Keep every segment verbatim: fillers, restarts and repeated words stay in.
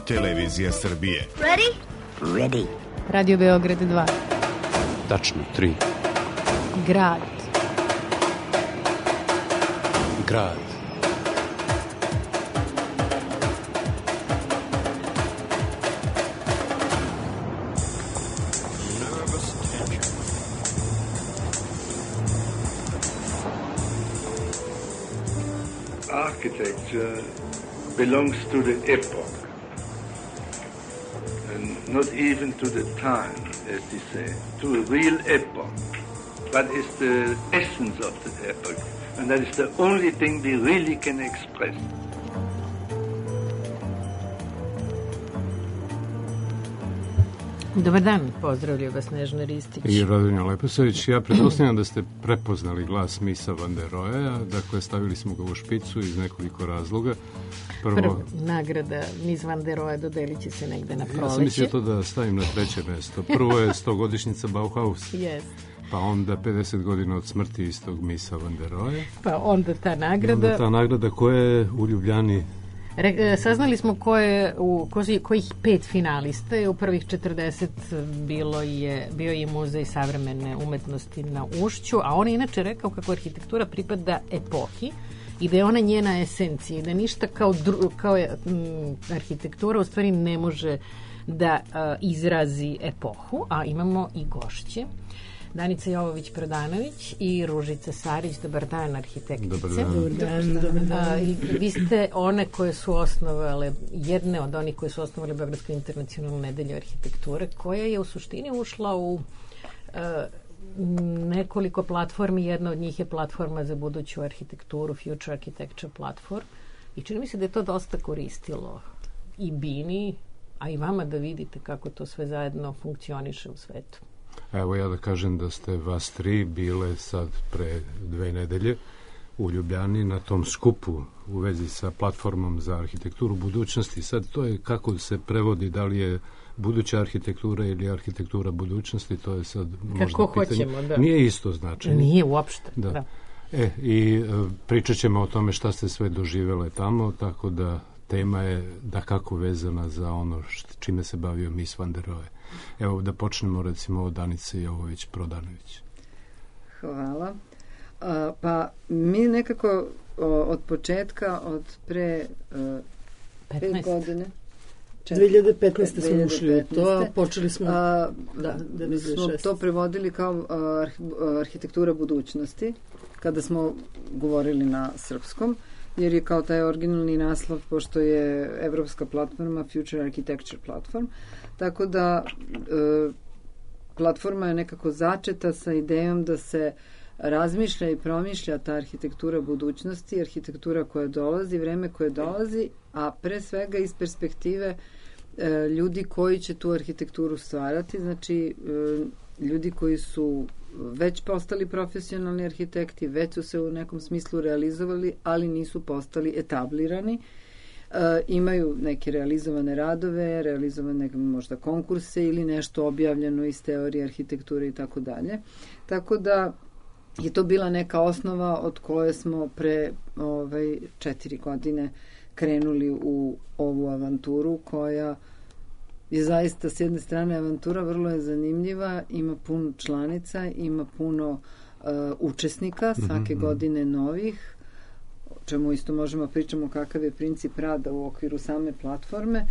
televizija Srbije. Ready? Ready. Radio Beograd dva. Tačno, tri. Grad. Grad. Architecture belongs to the epoch and not even to the time, as they say, to a real epoch. What is the essence of the epoch? And that is the only thing we really can express. Dobar dan, pozdravljaju vas Nežna Ristić i Radonja Leposavić. Ja pretpostavljam da ste prepoznali glas Misa van der Roheja, dakle stavili smo ga u špicu iz nekoliko razloga. Prvo, Prvo nagrada Mis van der Rohe dodelit će se negde na proleće. Ja sam mislio to da stavim na treće mesto. Prvo je stogodišnjica Bauhaus. Yes. Pa onda pedeset godina od smrti istog Misa van der Roheja. Pa onda ta nagrada. Onda ta nagrada koja je u Ljubljani. Re, saznali smo ko je u ko, kojih pet finalista je u prvih četrdeset bilo je bio je Muzej savremene umetnosti na Ušću, a on je inače rekao kako arhitektura pripada epohi i da je ona njena esencija i da ništa kao, dru, kao je, m, arhitektura u stvari ne može da a, izrazi epohu, a imamo i gošće. Danica Jovović-Prodanović i Ružica Sarić. Dobar dan, arhitektice. Dobar dan. Dobar dan, dobar dan. A, i vi ste one koje su osnovale, jedne od onih koje su osnovale Beogradsku internacionalnu nedelju arhitekture, koja je u suštini ušla u a, nekoliko platformi. Jedna od njih je platforma za buduću arhitekturu, Future Architecture Platform. I čini mi se da je to dosta koristilo i Bini, a i vama da vidite kako to sve zajedno funkcioniše u svetu. Evo ja da kažem da ste vas tri bile sad pre dve nedelje u Ljubljani na tom skupu u vezi sa platformom za arhitekturu budućnosti. Sad to je kako se prevodi, da li je buduća arhitektura ili arhitektura budućnosti, to je sad možda kako pitanje. Hoćemo, da. Nije isto značenje. Nije uopšte, da. da. E, i e, pričat ćemo o tome šta ste sve doživele tamo, tako da tema je da kako vezana za ono št, čime se bavio Mis van der Rohe. Evo da počnemo recimo od Danice Jovović-Prodanović. Hvala. A, pa mi nekako o, od početka, od pre uh, pet godine, dve hiljade petnaeste smo ušli u to, a počeli smo a, da, smo to prevodili kao a, arhitektura budućnosti, kada smo govorili na srpskom, jer je kao taj originalni naslov, pošto je evropska platforma Future Architecture Platform, tako da e, platforma je nekako začeta sa idejom da se razmišlja i promišlja ta arhitektura budućnosti, arhitektura koja dolazi, vreme koje dolazi, a pre svega iz perspektive e, ljudi koji će tu arhitekturu stvarati, znači e, ljudi koji su već postali profesionalni arhitekti, već su se u nekom smislu realizovali, ali nisu postali etablirani. E, imaju neke realizovane radove, realizovane možda konkurse ili nešto objavljeno iz teorije arhitekture i tako dalje. Tako da je to bila neka osnova od koje smo pre ovaj, četiri godine krenuli u ovu avanturu koja je zaista s jedne strane avantura vrlo je zanimljiva, ima puno članica, ima puno uh, učesnika, svake mm-hmm. godine novih, o čemu isto možemo pričamo kakav je princip rada u okviru same platforme.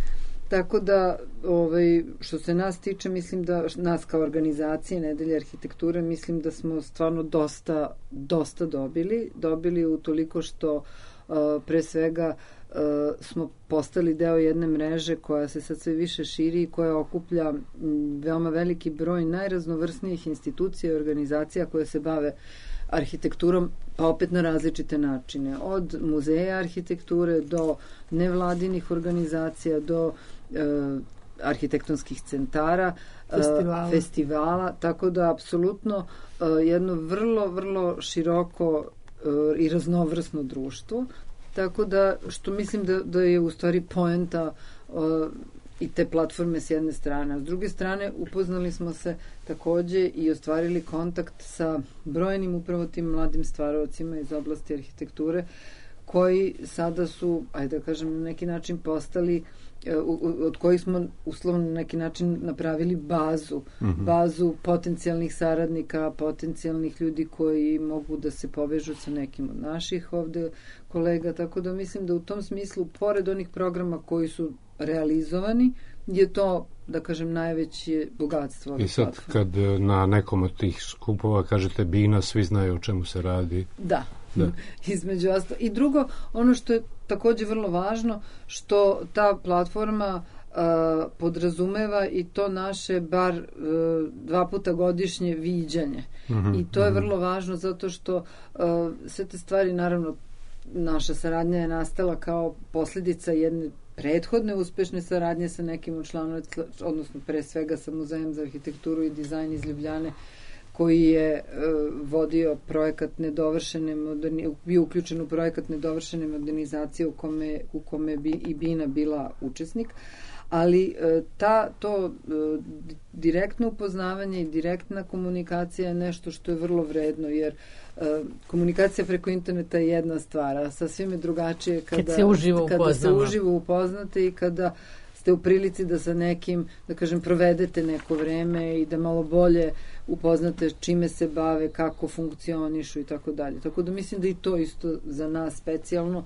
Tako da, ovaj, što se nas tiče, mislim da nas kao organizacije Nedelje arhitekture, mislim da smo stvarno dosta, dosta dobili. Dobili u toliko što uh, pre svega uh, smo postali deo jedne mreže koja se sad sve više širi i koja okuplja m, veoma veliki broj najraznovrsnijih institucija i organizacija koje se bave arhitekturom, pa opet na različite načine. Od muzeja arhitekture do nevladinih organizacija, do e, arhitektonskih centara, festivala. E, festivala, tako da apsolutno e, jedno vrlo, vrlo široko e, i raznovrsno društvo. Tako da, što mislim da, da je u stvari poenta e, i te platforme s jedne strane. A s druge strane, upoznali smo se takođe i ostvarili kontakt sa brojnim upravo tim mladim stvaravcima iz oblasti arhitekture, koji sada su, ajde da kažem, na neki način postali od kojih smo uslovno na neki način napravili bazu, mm-hmm. bazu potencijalnih saradnika, potencijalnih ljudi koji mogu da se povežu sa nekim od naših ovde kolega, tako da mislim da u tom smislu, pored onih programa koji su realizovani, je to, da kažem, najveće bogatstvo. I sad kad na nekom od tih skupova kažete Bina, svi znaju o čemu se radi. Da, da. Između ostalo. I drugo, ono što je takođe vrlo važno, što ta platforma uh, podrazumeva i to naše bar uh, dva puta godišnje viđanje. Mm-hmm, I to je vrlo važno zato što uh, sve te stvari, naravno, naša saradnja je nastala kao posljedica jedne prethodne uspešne saradnje sa nekim od članova, odnosno pre svega sa Muzejem za arhitekturu i dizajn iz Ljubljane, koji je uh, vodio projekat nedovršene moderni, bio uključen u projekat nedovršene modernizacije u kome, u kome bi i Bina bila učesnik, ali uh, ta, to uh, direktno upoznavanje i direktna komunikacija je nešto što je vrlo vredno, jer uh, komunikacija preko interneta je jedna stvar, a sasvim je drugačije kada, Kad se uživo kada se uživo upoznate i kada ste u prilici da sa nekim, da kažem, provedete neko vreme i da malo bolje upoznate čime se bave, kako funkcionišu i tako dalje. Tako da mislim da i to isto za nas specijalno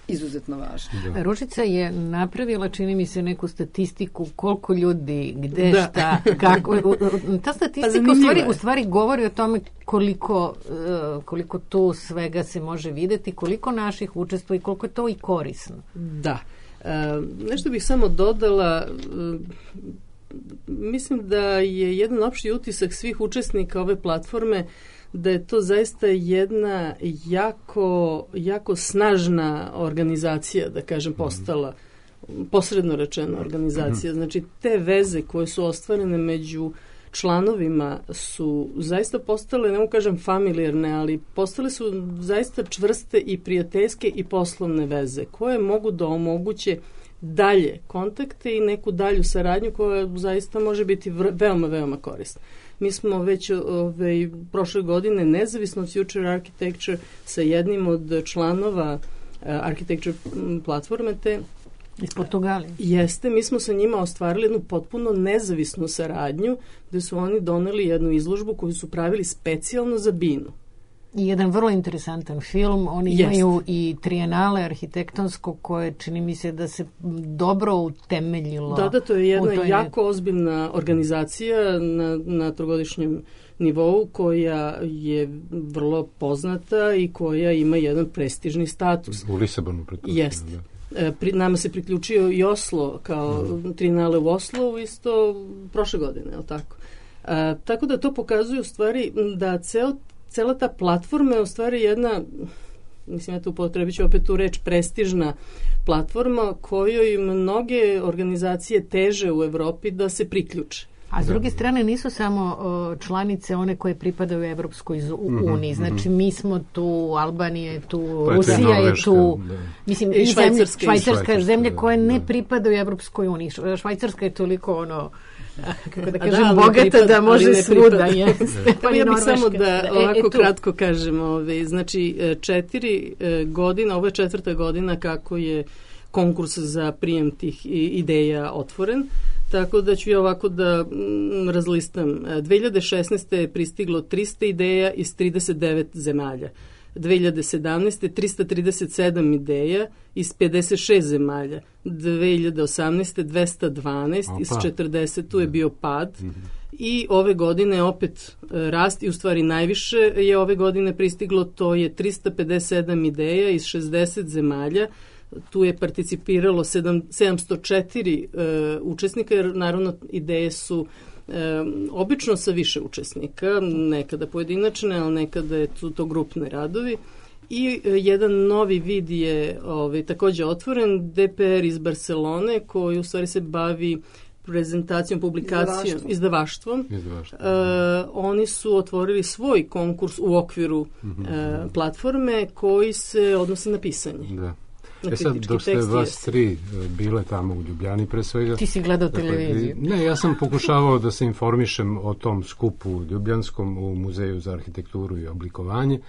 izuzetno važno. Da. Ružica je napravila, čini mi se, neku statistiku koliko ljudi, gde, da. šta, kako. Ta statistika u stvari, u stvari govori o tome koliko, koliko tu svega se može videti, koliko naših učestvuje i koliko je to i korisno. Da. Uh, nešto bih samo dodala, uh, mislim da je jedan opšti utisak svih učesnika ove platforme da je to zaista jedna jako, jako snažna organizacija, da kažem, postala, posredno rečeno organizacija. Znači, te veze koje su ostvarene među članovima su zaista postale, ne mogu kažem familijarne, ali postale su zaista čvrste i prijateljske i poslovne veze koje mogu da omoguće dalje kontakte i neku dalju saradnju koja zaista može biti veoma, veoma korisna. Mi smo već ove, prošle godine nezavisno od Future Architecture sa jednim od članova uh, Architecture platforme te iz Portugalije. Jeste, mi smo sa njima ostvarili jednu potpuno nezavisnu saradnju gde su oni doneli jednu izložbu koju su pravili specijalno za Binu. I jedan vrlo interesantan film. Oni Jest. imaju i trijenale arhitektonsko koje čini mi se da se dobro utemeljilo. Da, da, to je jedna jako ozbiljna organizacija na, na trogodišnjem nivou koja je vrlo poznata i koja ima jedan prestižni status. U Lisabonu pretpostavljam. Jeste. Pri, nama se priključio i Oslo kao mm. trijenale u Oslo isto prošle godine, je li tako? A, tako da to pokazuje u stvari da ceo Cela ta platforma je u stvari jedna, mislim, ja tu upotrebit ću opet tu reč, prestižna platforma kojoj mnoge organizacije teže u Evropi da se priključe. A s druge strane nisu samo o, članice one koje pripadaju Evropskoj uniji. Znači mi smo tu, Albanija je tu, pa Rusija je tu, da. mislim i, i Švajcarska, zemlje, Švajcarska zemlje koje da. ne pripadaju Evropskoj uniji. Švajcarska je toliko ono, kako da kažem, da, bogata pripad, da može svuda. Pa ja bih samo da ovako e, kratko kažem. Ove, znači četiri godina, ovo je četvrta godina kako je konkurs za prijem tih ideja otvoren. Tako da ću ja ovako da mm, razlistam. dve hiljade šesnaeste. je pristiglo trista ideja iz trideset devet zemalja. dve hiljade sedamnaeste. trista trideset sedam ideja iz pedeset šest zemalja. dve hiljade osamnaeste. dvesta dvanaest Opa. iz četrdeset. Tu je bio pad. Mm-hmm. I ove godine opet rast i u stvari najviše je ove godine pristiglo, to je trista pedeset sedam ideja iz šezdeset zemalja. Tu je participiralo sedamsto četiri uh, učesnika, jer naravno ideje su uh, obično sa više učesnika, nekada pojedinačne, ali nekada je tu to grupne radovi. I uh, jedan novi vid je ovaj, takođe otvoren, D P R iz Barcelone, koji u stvari se bavi prezentacijom, publikacijom, izdavaštvom. izdavaštvom. Uh, oni su otvorili svoj konkurs u okviru uh, platforme koji se odnosi na pisanje. Da. E sad, dok ste vas tri bile tamo u Ljubljani pre svega... Ti si gledao televiziju. Ne, ja sam pokušavao da se informišem o tom skupu ljubljanskom u Muzeju za arhitekturu i oblikovanje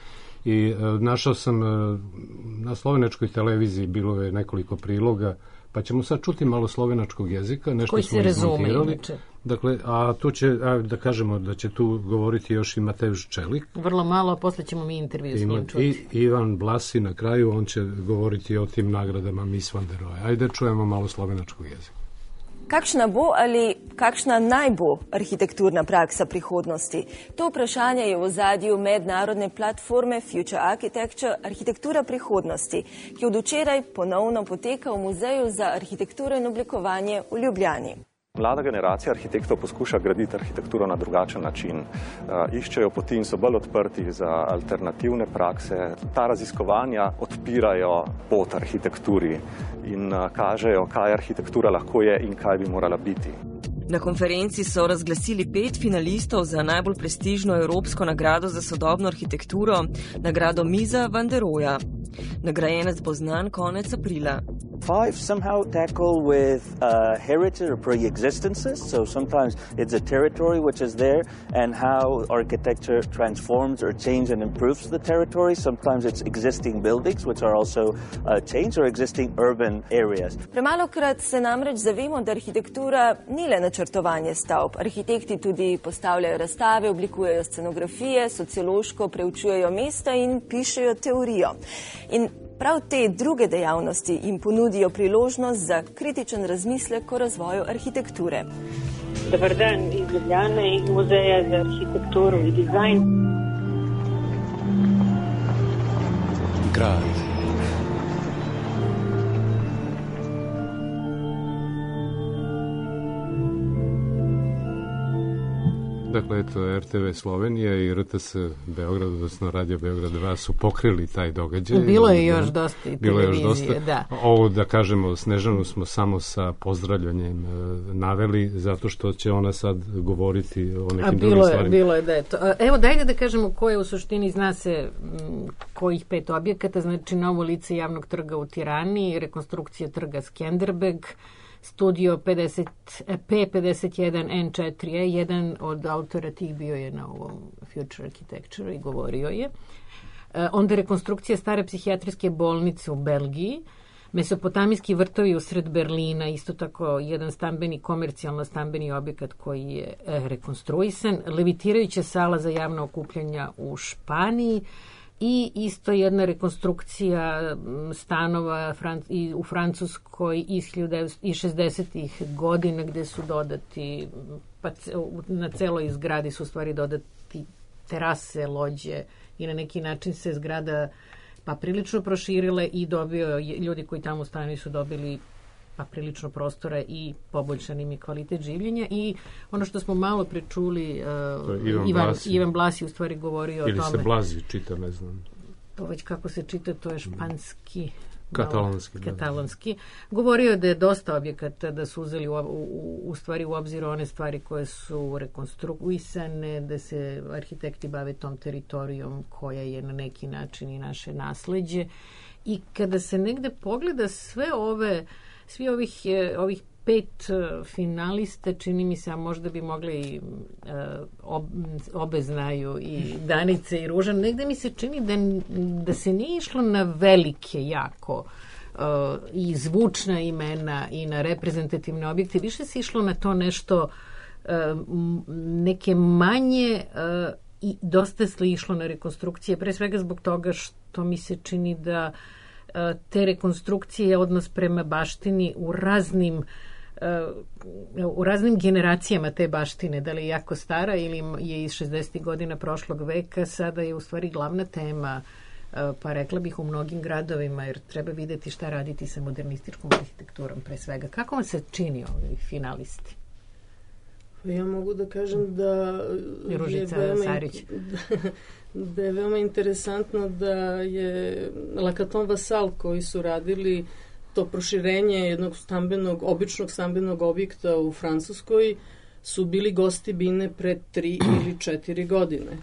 i e, našao sam e, na slovenačkoj televiziji bilo je nekoliko priloga Pa ćemo sad čuti malo slovenačkog jezika, nešto koji smo se izmontirali. Inače. Dakle, a tu će, a, da kažemo da će tu govoriti još i Mateusz Čelik. Vrlo malo, a posle ćemo mi intervju s njim čuti. I Ivan Blasi na kraju, on će govoriti o tim nagradama Miss Van der Rohe. Ajde čujemo malo slovenačkog jezika. Kakšna bo ali kakšna naj bo arhitekturna praksa prihodnosti? To vprašanje je v ozadju mednarodne platforme Future Architecture Arhitektura prihodnosti, ki od včeraj ponovno poteka v Muzeju za arhitekturo in oblikovanje v Ljubljani. Mlada generacija arhitektov poskuša graditi arhitekturo na drugačen način. Uh, iščejo poti in so bolj odprti za alternativne prakse. Ta raziskovanja odpirajo pot arhitekturi in uh, kažejo, kaj arhitektura lahko je in kaj bi morala biti. Na konferenci so razglasili pet finalistov za najbolj prestižno evropsko nagrado za sodobno arhitekturo, nagrado Misa Van der Roheja. Nagrajenec bo znan konec aprila. Five somehow tackle with uh, heritage or pre-existences, so sometimes it's a territory which is there and how architecture transforms or changes and improves the territory. Sometimes it's existing buildings which are also uh, changed or existing urban areas. Premalokrat se namreč zavemo, da arhitektura ni le načrtovanje stavb. Arhitekti tudi postavljajo razstave, oblikujejo scenografije, sociološko preučujejo mesta in pišejo teorijo. In prav te druge dejavnosti jim ponudijo priložnost za kritičen razmislek o razvoju arhitekture. Dobar dan iz Ljubljane, iz Muzeja za arhitekturu i dizajn. Grad. Dakle, eto, er te ve Slovenija i er te es Beograd, odnosno Radio Beograd dva su pokrili taj događaj. Bilo je još dosta i Bilo je još televizije, dosta. da. Ovo, da kažemo, Snežanu smo samo sa pozdravljanjem e, naveli, zato što će ona sad govoriti o nekim A drugim bilo je, stvarima. bilo je da je to. Evo, dajde da kažemo ko je u suštini, zna se m, kojih pet objekata, znači novo lice javnog trga u Tirani, rekonstrukcija trga Skenderbeg, studio pedeset, P pedeset jedan N četiri E, jedan od autora tih bio je na ovom Future Architecture i govorio je. E, onda rekonstrukcija stare psihijatrijske bolnice u Belgiji, Mesopotamijski vrtovi usred Berlina, isto tako jedan stambeni, komercijalno stambeni objekat koji je e, rekonstruisan, levitirajuća sala za javna okupljanja u Španiji, i isto jedna rekonstrukcija stanova u Francuskoj iz šezdesetih godina gde su dodati, pa na celoj zgradi su u stvari dodati terase, lođe i na neki način se zgrada pa prilično proširile i dobio, ljudi koji tamo stanuju su dobili pa prilično prostora i poboljšan im je kvalitet življenja. I ono što smo malo prečuli, uh, Ivan, Ivan, Blasi. Ivan Blasi u stvari govorio Ili o tome. Ili se Blazi čita, ne znam. To već kako se čita, to je španski. Katalonski. Malo, katalonski. Govorio je da je dosta objekata, da su uzeli u, u, u stvari u obzir one stvari koje su rekonstruisane, da se arhitekti bave tom teritorijom koja je na neki način i naše nasleđe. I kada se negde pogleda sve ove Svi ovih, ovih pet finalista, čini mi se, a možda bi mogli i ob, obe znaju i Danice i Ružan, negde mi se čini da, da se nije išlo na velike jako i zvučna imena i na reprezentativne objekte, više se išlo na to nešto neke manje i dosta se išlo na rekonstrukcije, pre svega zbog toga što mi se čini da te rekonstrukcije, odnos prema baštini u raznim u raznim generacijama te baštine, da li je jako stara ili je iz šezdesetih godina prošlog veka, sada je u stvari glavna tema, pa rekla bih u mnogim gradovima, jer treba videti šta raditi sa modernističkom arhitekturom pre svega. Kako vam se čini ovi finalisti? Ja mogu da kažem da Ružica je veoma, Sarić. da je veoma interesantno da je Lacaton Vassal koji su radili to proširenje jednog stambenog, običnog stambenog objekta u Francuskoj su bili gosti Bine pre tri ili četiri godine.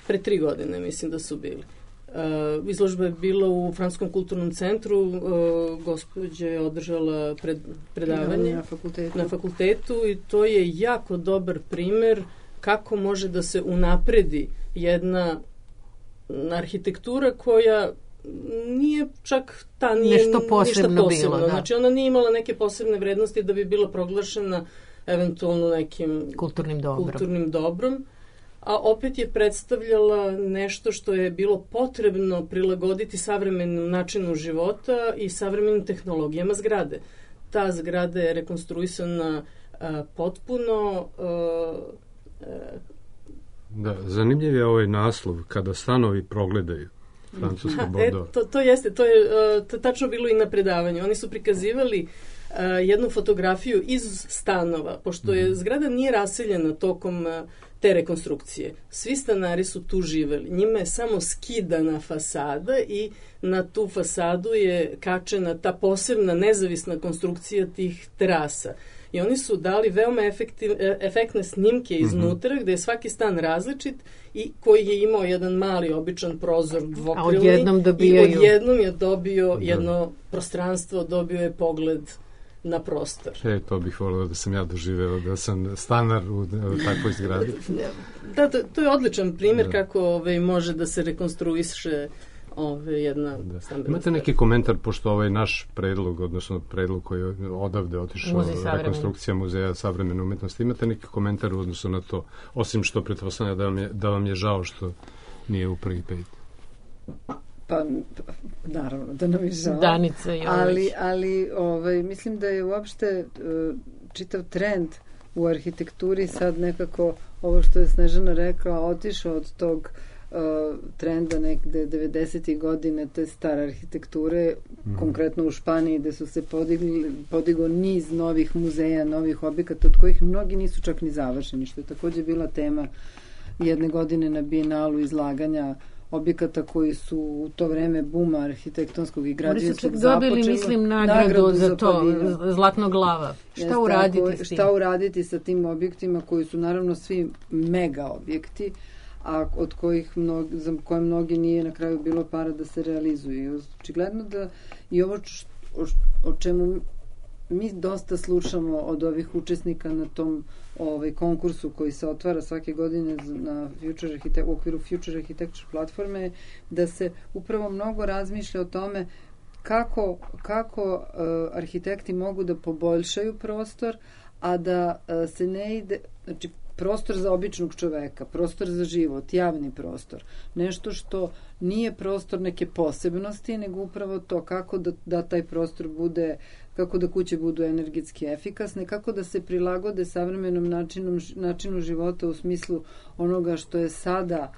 Pre tri godine mislim da su bili. Uh, izložba je bila u Francuskom kulturnom centru, uh, gospođa je održala pred, predavanje na fakultetu. na fakultetu i to je jako dobar primer kako može da se unapredi jedna arhitektura koja nije čak ta nije nešto posebno, ništa posebno. bilo. Da. Znači ona nije imala neke posebne vrednosti da bi bila proglašena eventualno nekim kulturnim dobrom. kulturnim dobrom, a opet je predstavljala nešto što je bilo potrebno prilagoditi savremenom načinu života i savremenim tehnologijama zgrade. Ta zgrada je rekonstruisana a, potpuno... A, a, da, zanimljiv je ovaj naslov, kada stanovi progledaju. Francusko Bordeaux. E, to, to jeste, to je uh, to tačno bilo i na predavanju. Oni su prikazivali uh, jednu fotografiju iz stanova, pošto je zgrada nije raseljena tokom uh, te rekonstrukcije. Svi stanari su tu živeli. Njima je samo skidana fasada i na tu fasadu je kačena ta posebna nezavisna konstrukcija tih terasa. I oni su dali veoma efektiv, efektne snimke iznutra, mm-hmm. gde je svaki stan različit i koji je imao jedan mali običan prozor dvokrilni. A odjednom dobijaju... I odjednom je dobio jedno prostranstvo, dobio je pogled na prostor. E, to bih volio da sam ja doživeo, da sam stanar u, u takvoj zgradi. Da, to, to je odličan primjer da. kako ovaj, može da se rekonstruiše ove, jedna da. stambena. Imate neki komentar, pošto ovaj naš predlog, odnosno predlog koji je odavde otišao, rekonstrukcija Muzeja savremene umetnosti, imate neki komentar u odnosu na to, osim što pretpostavljam da vam je, da vam je žao što nije u prvi pet? Pa, naravno, da nam je žao. Danica i ali, ali ovaj, mislim da je uopšte uh, čitav trend u arhitekturi sad nekako, ovo što je Snežana rekla, otišao od tog uh, trenda nekde devedesetih godine, te stare arhitekture, mm. konkretno u Španiji, gde su se podigli, podigao niz novih muzeja, novih objekata, od kojih mnogi nisu čak ni završeni, što je takođe bila tema jedne godine na Bijenalu izlaganja objekata koji su u to vreme buma arhitektonskog i građevinskog započeli. Oni su dobili, mislim, nagradu, nagradu za, za to, Zlatno glava. Šta Jeste, uraditi koji, s tim? Šta uraditi sa tim objektima koji su naravno svi mega objekti, a od kojih mnogi, za koje mnogi nije na kraju bilo para da se realizuju. Očigledno da i ovo č, o, o čemu mi dosta slušamo od ovih učesnika na tom ovaj konkursu koji se otvara svake godine na Future Architect, u okviru Future Architecture platforme, da se upravo mnogo razmišlja o tome kako, kako uh, arhitekti mogu da poboljšaju prostor, a da uh, se ne ide, znači prostor za običnog čoveka, prostor za život, javni prostor, nešto što nije prostor neke posebnosti, nego upravo to kako da, da taj prostor bude, kako da kuće budu energetski efikasne, kako da se prilagode savremenom načinom, načinu života u smislu onoga što je sada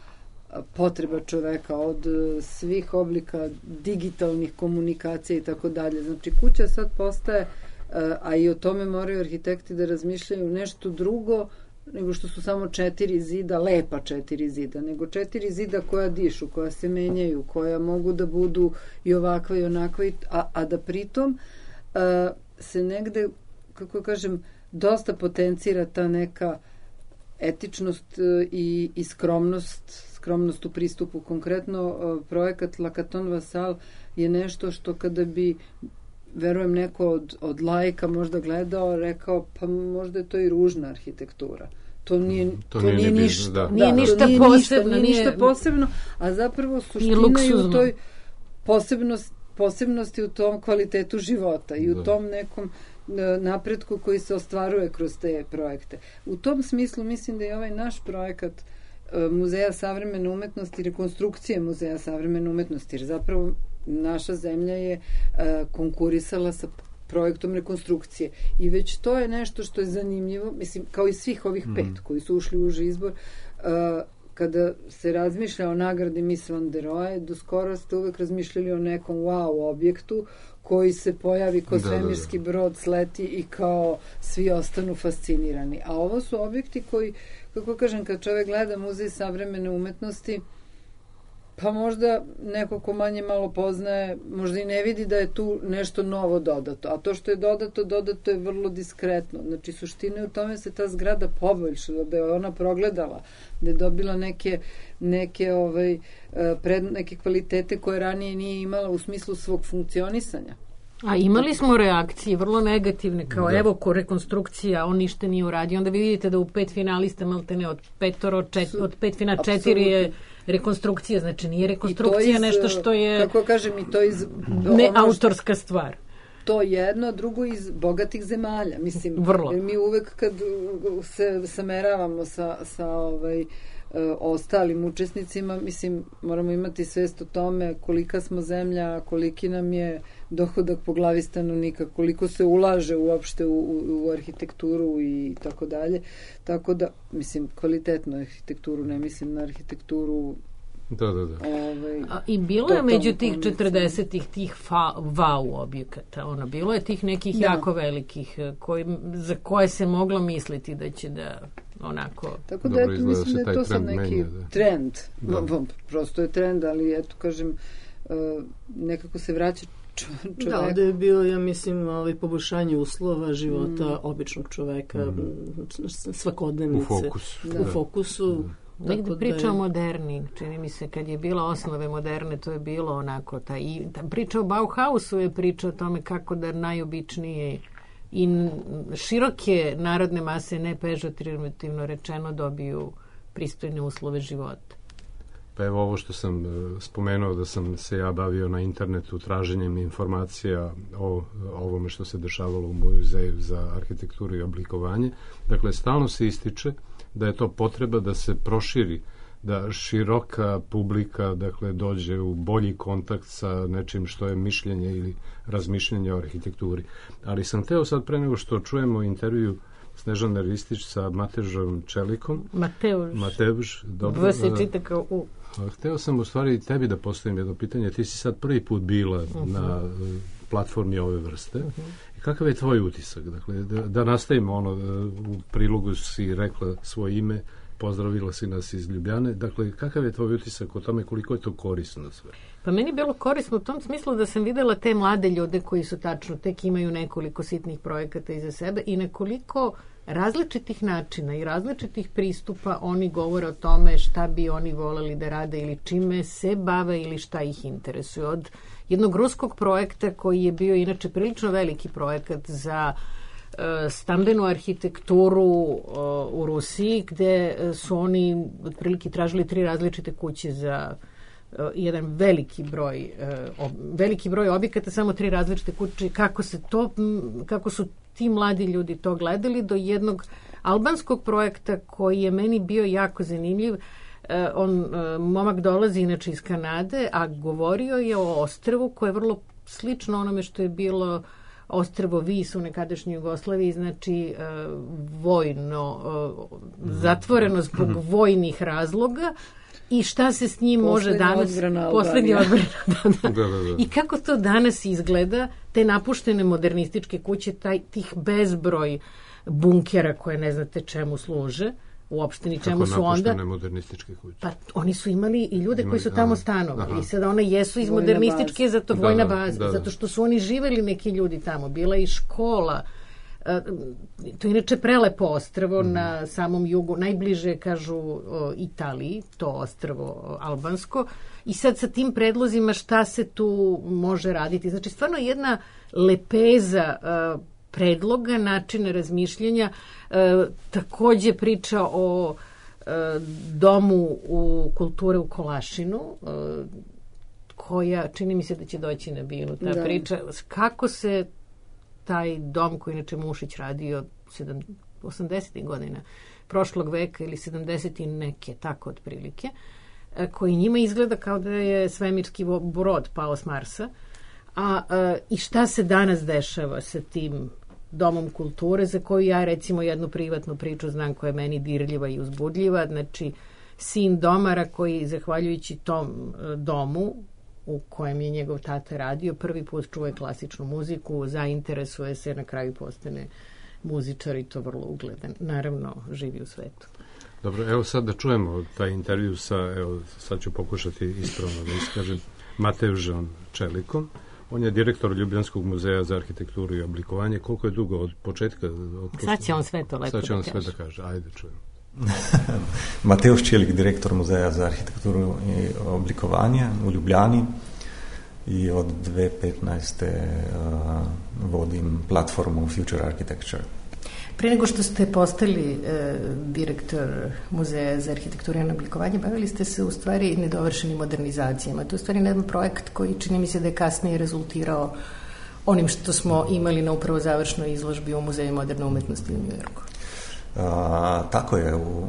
potreba čoveka, od svih oblika digitalnih komunikacija i tako dalje. Znači kuća sad postaje, a i o tome moraju arhitekti da razmišljaju, nešto drugo nego što su samo četiri zida, lepa četiri zida, nego četiri zida koja dišu, koja se menjaju, koja mogu da budu i ovakva i onakva, a, a da pritom a, se negde, kako kažem, dosta potencira ta neka etičnost i, i skromnost, skromnost u pristupu. Konkretno projekat La Caton Vassal je nešto što kada bi, verujem, neko od, od laika možda gledao, rekao, pa možda je to i ružna arhitektura. To nije, to to nije, nije nije ništa. Da. Nije da, ništa nije posebno. Ništa, nije ništa posebno, a zapravo suština je u toj posebnost, posebnosti u tom kvalitetu života i u da. tom nekom napretku koji se ostvaruje kroz te projekte. U tom smislu mislim da je ovaj naš projekat Muzeja savremene umetnosti, rekonstrukcije Muzeja savremene umetnosti, jer zapravo naša zemlja je uh, konkurisala sa projektom rekonstrukcije i već to je nešto što je zanimljivo, mislim, kao i svih ovih pet mm. koji su ušli u uži izbor. Uh, kada se razmišlja o nagradi Miss Van der Rohe, do skoro ste uvek razmišljali o nekom wow objektu koji se pojavi kao da, svemirski da, da. brod, sleti i kao svi ostanu fascinirani. A ovo su objekti koji, kako kažem, kad čovek gleda Muzej savremene umetnosti, pa možda neko ko manje malo poznaje, možda i ne vidi da je tu nešto novo dodato. A to što je dodato, dodato je vrlo diskretno. Znači, suština je u tome se ta zgrada poboljšala, da je ona progledala, da je dobila neke, neke, ovaj, pred, neke kvalitete koje ranije nije imala u smislu svog funkcionisanja. A imali smo reakcije vrlo negativne, kao da. evo ko rekonstrukcija, on ništa nije uradio. Onda vi vidite da u pet finalista, maltene od petoro, čet, od pet fina četiri je rekonstrukcija, znači nije rekonstrukcija iz, nešto što je kako kažem, i to iz ne autorska stvar. To jedno, drugo iz bogatih zemalja, mislim. Vrlo. Jer mi uvek kad se sameravamo sa, sa ovaj, ostalim učesnicima, mislim, moramo imati svest o tome kolika smo zemlja, koliki nam je dohodak po glavi stanovnika, koliko se ulaže uopšte u, u, u arhitekturu i tako dalje. Tako da, mislim, kvalitetnu arhitekturu, ne mislim na arhitekturu. Da, da, da. Ovaj, A, I bilo je među tih četrdesetih tih fa, wow objekata, ono, bilo je tih nekih da. jako velikih koji, za koje se moglo misliti da će da onako... Tako da, eto, mislim da je to sad neki menja, da. trend. Da. Prosto je trend, ali eto, kažem, nekako se vraća čoveka. Da, ovdje je bio, ja mislim, ovaj, poboljšanje uslova života mm. običnog čoveka, mm. svakodnevnice. U fokusu. Da. U fokusu. Da. Negde priča o moderni, čini mi se, kad je bila osnove moderne, to je bilo onako, ta, i, ta priča o Bauhausu je priča o tome kako da najobičnije i široke narodne mase, ne pežorativno rečeno, dobiju pristojne uslove života. Pa evo ovo što sam spomenuo, da sam se ja bavio na internetu traženjem informacija o ovome što se dešavalo u Muzeju za arhitekturu i oblikovanje. Dakle, stalno se ističe da je to potreba da se proširi, da široka publika, dakle, dođe u bolji kontakt sa nečim što je mišljenje ili razmišljenje o arhitekturi. Ali sam hteo sad, pre nego što čujemo intervju Snežane Ristić sa Mateušom Čelikom. Mateuš. Mateuš, dobro. V se čita kao U. Hteo sam u stvari tebi da postavim jedno pitanje. Ti si sad prvi put bila uh-huh. na platformi ove vrste. Uh-huh. I kakav je tvoj utisak? Dakle, da, da nastavimo ono, u prilogu si rekla svoje ime, pozdravila si nas iz Ljubljane. Dakle, kakav je tvoj utisak o tome koliko je to korisno sve? Pa meni je bilo korisno u tom smislu da sam videla te mlade ljude koji su tačno, tek imaju nekoliko sitnih projekata iza sebe i nekoliko različitih načina i različitih pristupa oni govore o tome šta bi oni voleli da rade ili čime se bave ili šta ih interesuje. Od jednog ruskog projekta koji je bio inače prilično veliki projekat za uh, stambenu arhitekturu uh, u Rusiji, gde su oni otprilike tražili tri različite kuće za uh, jedan veliki broj uh, ob, veliki broj objekata, samo tri različite kuće. Kako se to, kako su ti mladi ljudi to gledali, do jednog albanskog projekta koji je meni bio jako zanimljiv. E, on, e, momak dolazi inače iz Kanade, a govorio je o ostrvu koje je vrlo slično onome što je bilo ostrvo Vis u nekadašnjoj Jugoslaviji, znači e, vojno, e, zatvoreno zbog vojnih razloga. I šta se s njim može danas... Poslednja odbrana. Da, da. Da, da, da. I kako to danas izgleda, te napuštene modernističke kuće, taj, tih bezbroj bunkera koje ne znate čemu služe, uopšte ni čemu su onda... Kako napuštene modernističke kuće? Pa oni su imali i ljude imali, koji su tamo stanovali. Aha. I sada one jesu iz vojna modernističke, baza. zato vojna da, baza, da, da. zato što su oni živeli neki ljudi tamo. Bila i škola. To je inače prelepo ostrvo mm. na samom jugu, najbliže kažu o, Italiji, to ostrvo albansko, i sad sa tim predlozima šta se tu može raditi. Znači stvarno jedna lepeza uh, predloga, načina razmišljanja, uh, takođe priča o uh, domu u kulture u Kolašinu, uh, koja čini mi se da će doći na binu ta da. priča, kako se taj dom koji inače Mušić radio osamdesetih godina prošlog veka ili sedamdesetih neke, tako otprilike, koji njima izgleda kao da je svemirski brod pao s Marsa. A, a i šta se danas dešava sa tim domom kulture, za koju ja recimo jednu privatnu priču znam koja je meni dirljiva i uzbudljiva. Znači, sin domara koji, zahvaljujući tom domu u kojem je njegov tata radio, prvi put čuje klasičnu muziku, zainteresuje se, na kraju postane muzičar i to vrlo ugledan. Naravno, živi u svetu. Dobro, evo sad da čujemo taj intervju sa, evo sad ću pokušati ispravno da iskažem, Mateušom Čelikom. On je direktor Ljubljanskog muzeja za arhitekturu i oblikovanje. Koliko je dugo od početka? Od sad će on sve to lepo da kaže. Sad će on sve da kaže. Ajde, čujemo. Mateuš Čelik, direktor Muzeja za arhitekturu i oblikovanje u Ljubljani i od dve tisuće petnaeste. Uh, vodim platformu Future Architecture. Pre nego što ste postali e, direktor Muzeja za arhitekturu i oblikovanje, bavili ste se u stvari nedovršenim modernizacijama. To je u stvari jedan projekt koji čini mi se da je kasnije rezultirao onim što smo imali na upravo završnoj izložbi u Muzeju moderne umetnosti u Njujorku. A, tako je, u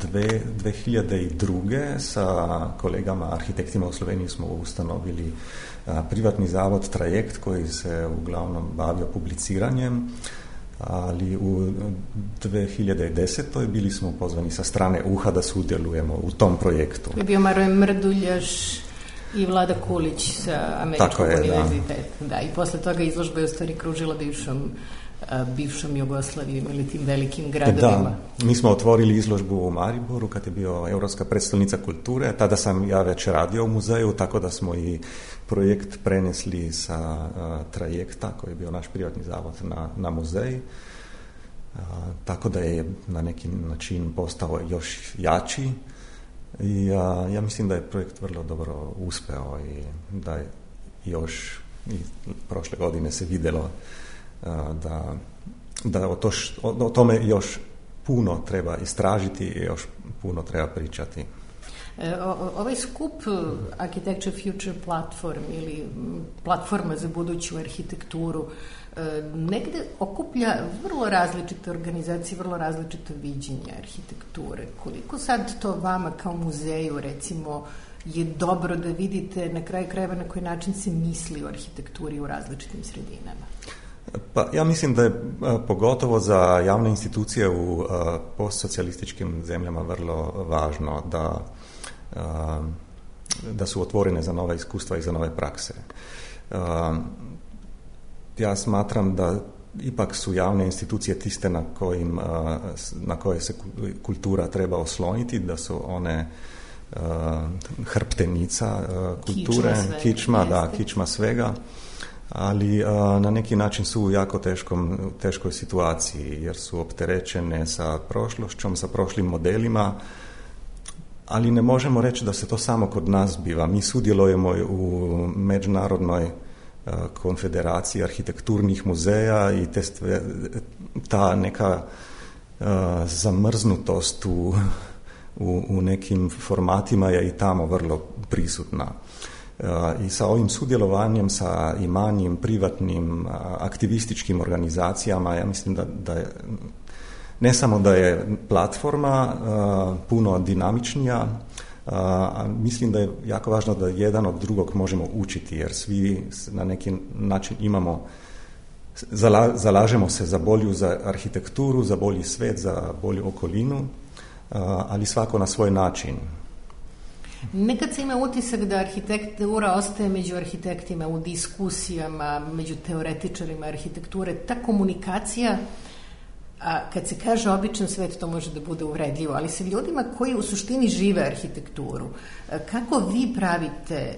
dve, dve hiljade druge sa kolegama arhitektima u Sloveniji smo ustanovili a, privatni zavod Trajekt koji se uglavnom bavio publiciranjem, ali u dve hiljade desetoj bili smo pozvani sa strane U H A da sudjelujemo u tom projektu. Je bio Maroje Mrduljaš i Vlada Kulić sa Američkog je, univerziteta. Da. Da, i posle toga izložba je u stvari kružila bivšom, bivšom Jugoslavijom ili tim velikim gradovima. Da, mi smo otvorili izložbu u Mariboru kad je bio Europska predstavnica kulture. Tada sam ja već radio u muzeju, tako da smo i projekt prenesli sa uh, Trajekta, koji je bio naš privatni zavod, na, na muzej. Uh, tako da je na neki način postao još jači. I uh, ja mislim da je projekt vrlo dobro uspeo i da je još i prošle godine se vidjelo uh, da, da o, to š, o, o tome još puno treba istražiti i još puno treba pričati. O, ovaj skup Architecture Future Platform ili platforma za buduću arhitектuru negde okuplja vrlo različite organizacije, vrlo različito viđenje arhitekture. Koliko sad to vama kao muzeju recimo je dobro da vidite na kraju krajeva na koji način se misli o arhitekturi u različitim sredinama? Pa ja mislim da je pogotovo za javne institucije u postsocijalističkim zemljama vrlo važno da da su otvorene za nova iskustva i za nove prakse. Ja smatram da ipak su javne institucije tiste na, kojim, na koje se kultura treba osloniti, da su one hrptenica kulture, kičma, kičma, da, kičma svega, ali na neki način su u jako teškom, teškoj situaciji jer su opterećene sa prošlošćom, sa prošlim modelima, ali ne možemo reći da se to samo kod nas biva. Mi sudjelujemo u međunarodnoj uh, konfederaciji arhitekturnih muzeja i te stve, ta neka uh, zamrznutost u, u, u nekim formatima je i tamo vrlo prisutna. Uh, I sa ovim sudjelovanjem, sa i manjim privatnim uh, aktivističkim organizacijama, ja mislim da, da je ne samo da je platforma uh, puno dinamičnija, uh, mislim da je jako važno da jedan od drugog možemo učiti, jer svi na neki način imamo, zala, zalažemo se za bolju za arhitekturu, za bolji svet, za bolju okolinu, uh, ali svako na svoj način. Nekad se ima utisak da arhitektura ostaje među arhitektima u diskusijama, među teoretičarima arhitekture. Ta komunikacija, a kad se kaže običan svet, to može da bude uvredljivo, ali sa ljudima koji u suštini žive arhitekturu, kako vi pravite,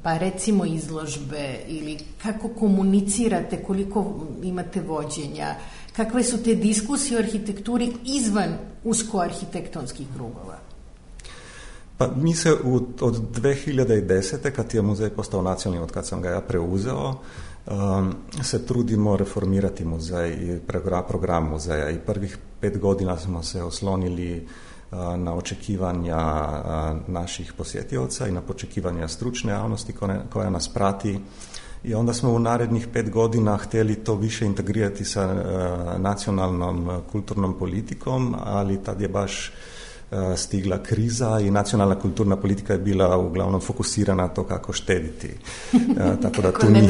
pa recimo izložbe, ili kako komunicirate, koliko imate vođenja, kakve su te diskusije o arhitekturi izvan usko arhitektonskih krugova? Pa mi se u, od dve hiljade desete, kad je muzej postao nacionalni, od kad sam ga ja preuzeo, Um, se trudimo reformirati muzej i program, program muzeja i prvih pet godina smo se oslonili uh, na očekivanja uh, naših posjetioca i na očekivanja stručne javnosti koja, koja nas prati i onda smo u narednih pet godina htjeli to više integrirati sa uh, nacionalnom uh, kulturnom politikom, ali tad je baš stigla kriza i nacionalna kulturna politika je bila uglavnom fokusirana na to kako štediti. Tako da tu nije...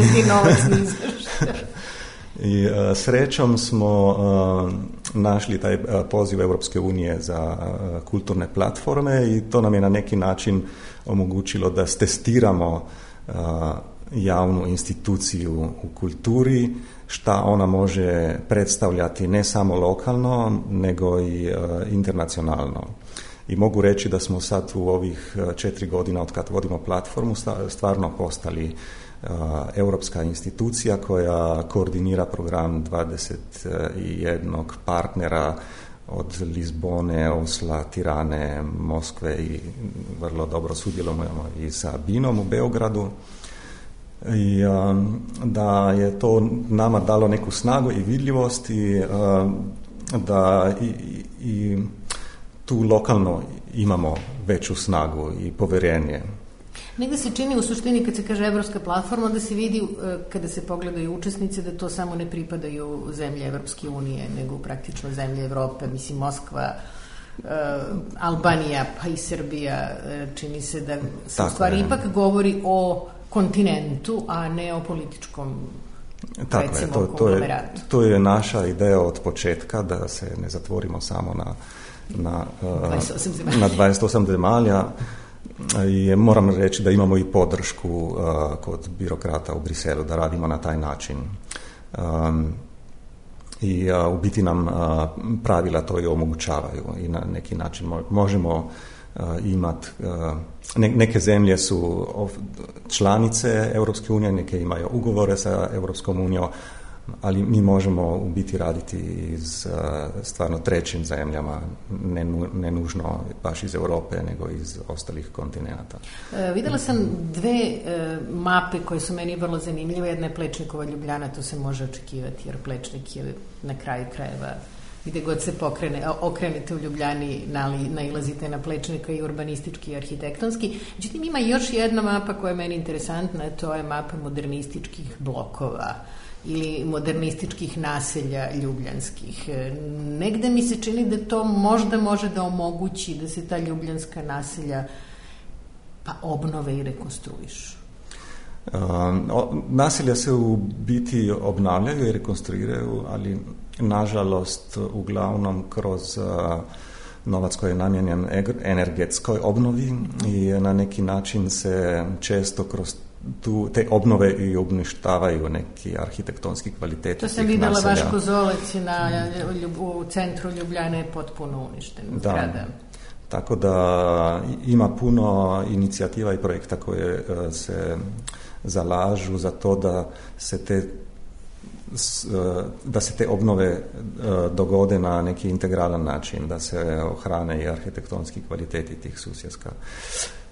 I uh, srećom smo uh, našli taj uh, poziv Europske unije za uh, kulturne platforme i to nam je na neki način omogućilo da stestiramo uh, javnu instituciju u kulturi, šta ona može predstavljati ne samo lokalno, nego i uh, internacionalno. I mogu reći da smo sad u ovih četiri godina od kad vodimo platformu stvarno postali uh, europska institucija koja koordinira program dvadeset jednog partnera od Lizbone, Osla, Tirane, Moskve i vrlo dobro sudjelujemo i sa Binom u Beogradu. i da je to nama dalo neku snagu i vidljivost i da i, i tu lokalno imamo veću snagu i povjerenje. Negde se čini u suštini kad se kaže evropska platforma da se vidi kada se pogledaju učesnice da to samo ne pripadaju zemlje Evropske unije nego praktično zemlje Evrope, mislim Moskva, Albanija pa i Srbija, čini se da se u stvari ipak govori o kontinentu, a ne o političkom Tako recimo je, to, to, je, to je naša ideja od početka, da se ne zatvorimo samo na, na, dvadeset osam zemalja. na dvadeset osam zemalja. I moram reći da imamo i podršku uh, kod birokrata u Briselu da radimo na taj način. Um, I uh, u biti nam uh, pravila to i omogućavaju i na neki način mo- možemo uh, imati, uh, ne, neke zemlje su članice Europske unije, neke imaju ugovore sa Europskom unijom, ali mi možemo u biti raditi iz uh, stvarno trećim zemljama, ne, ne nužno baš iz Europe, nego iz ostalih kontinenta. E, videla sam dve e, mape koje su meni vrlo zanimljive. Jedna je Plečnikova Ljubljana, to se može očekivati, jer Plečnik je na kraju krajeva, gde god se pokrene, okrenete u Ljubljani, nailazite na Plečnika i urbanistički i arhitektonski. Međutim, ima još jedna mapa koja je meni interesantna, to je mapa modernističkih blokova ili modernističkih naselja ljubljanskih. Negde mi se čini da to možda može da omogući da se ta ljubljanska naselja pa obnove i rekonstruišu. Um, naselja se u biti obnavljaju i rekonstruiraju, ali nažalost uglavnom kroz uh, novac koji je namijenjen energetskoj obnovi i na neki način se često kroz tu, te obnove i uništavaju neki arhitektonski kvaliteti. To sam videla, vaš Kozolec na, u centru Ljubljane je potpuno uništen. Da. Zgrada. Tako da ima puno inicijativa i projekta koje uh, se zalažu za to da se te da se te obnove dogode na neki integralan način, da se ohrane i arhitektonski kvaliteti tih susjedska.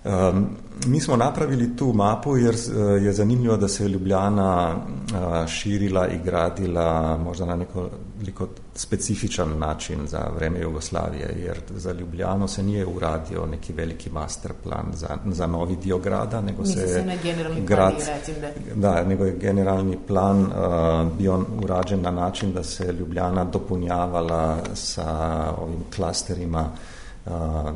Um, mi smo napravili tu mapu jer je zanimljivo da se Ljubljana uh, širila i gradila možda na nekoliko specifičan način za vreme Jugoslavije, jer za Ljubljanu se nije uradio neki veliki master plan za, za novi dio grada, nego Misli se, se na generalni grad, plan, recim da. Da, nego je generalni plan uh, bio urađen na način da se Ljubljana dopunjavala sa ovim klasterima Uh, uh,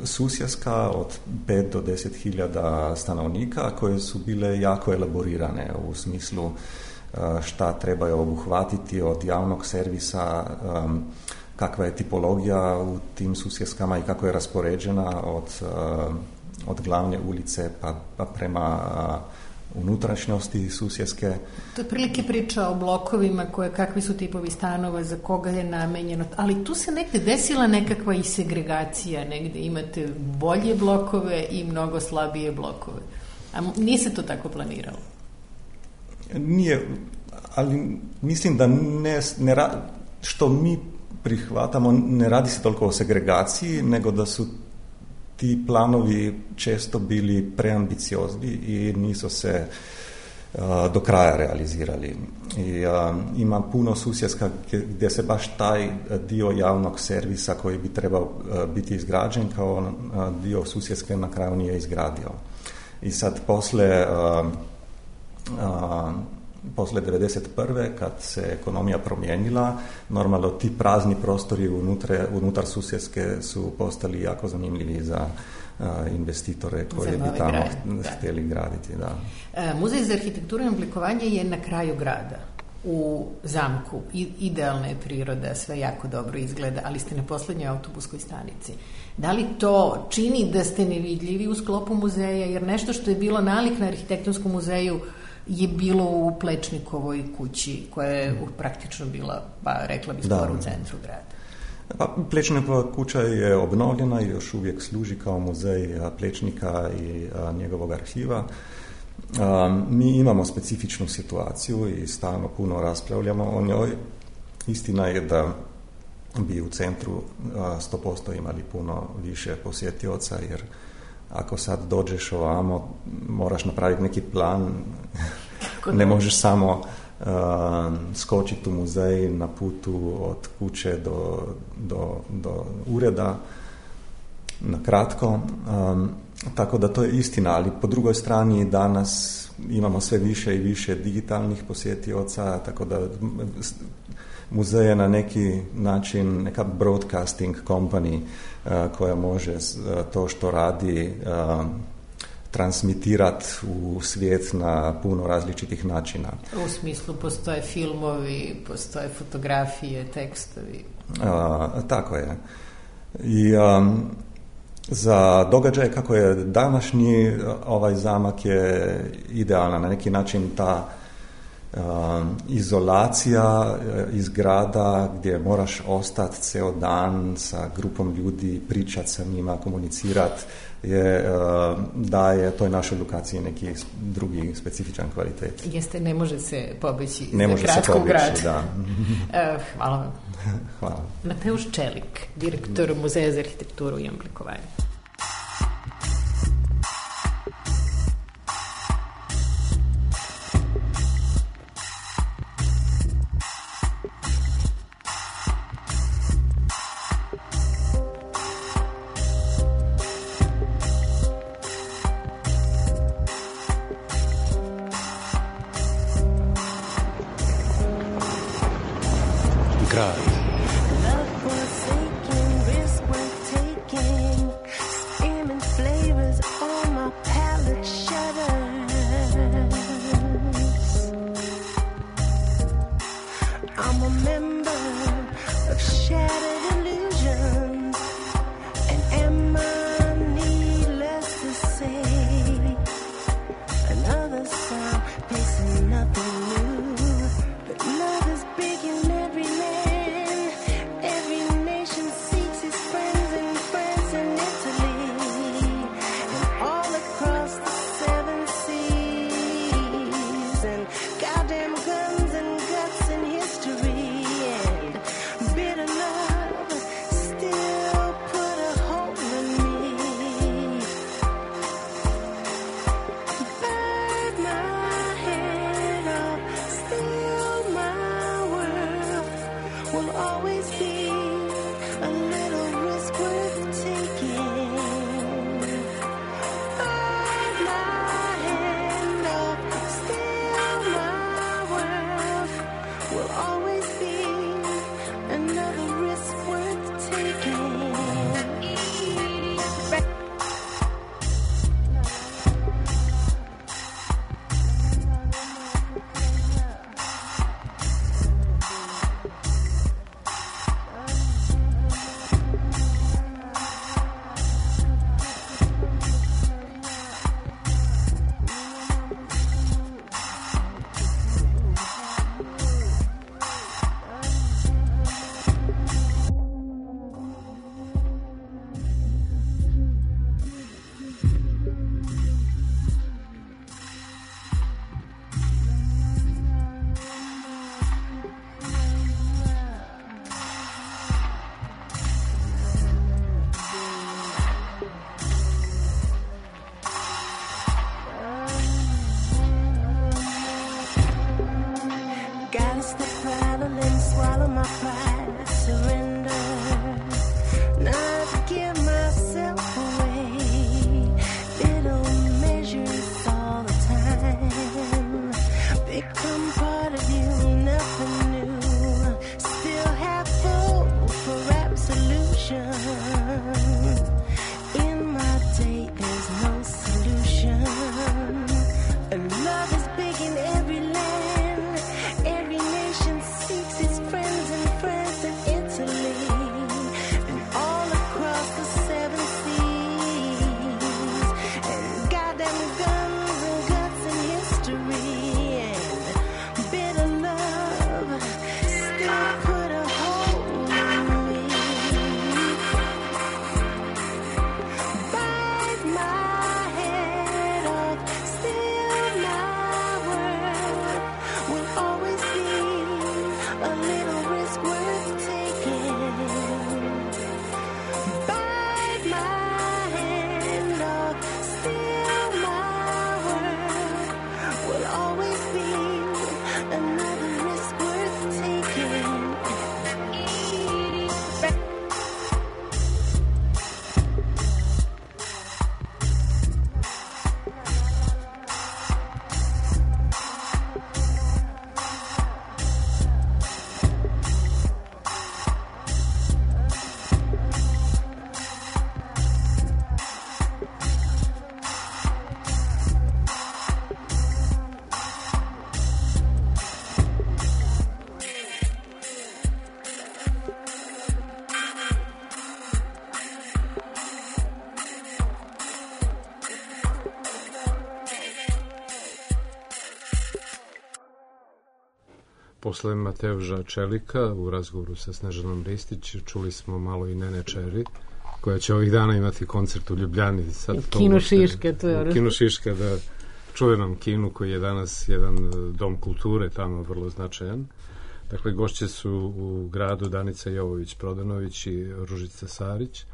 susjedska od pet do deset hiljada stanovnika koje su bile jako elaborirane u smislu uh, šta trebaju obuhvatiti od javnog servisa, um, kakva je tipologija u tim susjedskama i kako je raspoređena od, uh, od glavne ulice pa, pa prema uh, unutrašnjosti susjedske. To je prilike priča o blokovima, koje, kakvi su tipovi stanova, za koga je namenjeno, ali tu se negde desila nekakva i segregacija, negde imate bolje blokove i mnogo slabije blokove. A nije se to tako planiralo? Nije, ali mislim da ne, ne što mi prihvatamo, ne radi se toliko o segregaciji, nego da su ti planovi često bili preambiciozni i nisu se uh, do kraja realizirali. I uh, ima puno susjedska gdje se baš taj dio javnog servisa koji bi trebao uh, biti izgrađen kao uh, dio susjedske na kraju nije izgradio. I sad posle uh, uh, posle devedeset prve kad se ekonomija promijenila, normalno ti prazni prostori unutar, unutar susjedske su postali jako zanimljivi za uh, investitore koji bi tamo grad, htjeli da. graditi. Da. E, Muzej za arhitekturu i oblikovanje je na kraju grada, u zamku. I, idealna je priroda, sve jako dobro izgleda, ali ste na poslednjoj autobuskoj stanici. Da li to čini da ste nevidljivi u sklopu muzeja, jer nešto što je bilo nalik na arhitektonskom muzeju je bilo u Plečnikovoj kući, koja je praktično bila, pa rekla bi skoro u centru grada. Pa, Plečnikova kuća je obnovljena i još uvijek služi kao muzej Plečnika i a, njegovog arhiva. A, mi imamo specifičnu situaciju i stalno puno raspravljamo o njoj. Istina je da bi u centru a, sto posto imali puno više posjetioca, jer ako sad dođeš ovamo, moraš napraviti neki plan, ne možeš samo uh, skočiti u muzej na putu od kuće do, do, do ureda, na kratko. Um, tako da to je istina, ali po drugoj strani danas imamo sve više i više digitalnih posjetioca, tako da muzej je na neki način neka broadcasting company uh, koja može uh, to što radi uh, transmitirati u svijet na puno različitih načina. U smislu postoje filmovi, postoje fotografije, tekstovi. Uh, tako je. I um, za događaje kako je današnji, ovaj zamak je idealna. Na neki način ta uh, izolacija iz grada gdje moraš ostati ceo dan sa grupom ljudi, pričati sa njima, komunicirati, je, uh, daje toj našoj lokaciji neki drugi specifičan kvalitet. Jeste, ne može se pobeći ne za može kratko se u grad. Da. uh, hvala vam. Hvala. Mateusz Čelik, direktor Muzeja za arhitekturu i oblikovanje. posle Mateuša Čelika u razgovoru sa Snežanom Ristić čuli smo malo i Nene Čeri, koja će ovih dana imati koncert u Ljubljani. Sad Kino Šiška, to je. Kino Šiška, da, čuvenom kinu koji je danas jedan dom kulture tamo vrlo značajan. Dakle, gošće su u gradu Danica Jovović-Prodanović i Ružica Sarić